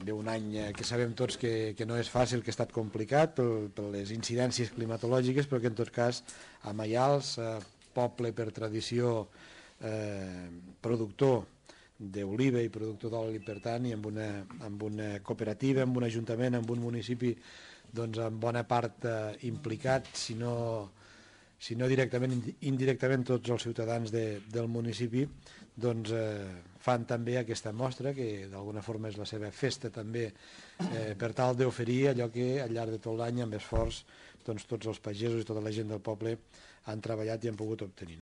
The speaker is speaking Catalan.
Ve un any que sabem tots que no és fàcil, que ha estat complicat per les incidències climatològiques, però que en tot cas a Maials, poble per tradició productor d'oliva i productor d'oli, per tant, i amb una cooperativa, amb un ajuntament, amb un municipi en bona part implicat, si no directament, indirectament tots els ciutadans del municipi fan també aquesta mostra, que d'alguna forma és la seva festa també, per tal d'oferir allò que al llarg de tot l'any amb esforç tots els pagesos i tota la gent del poble han treballat i han pogut obtenir.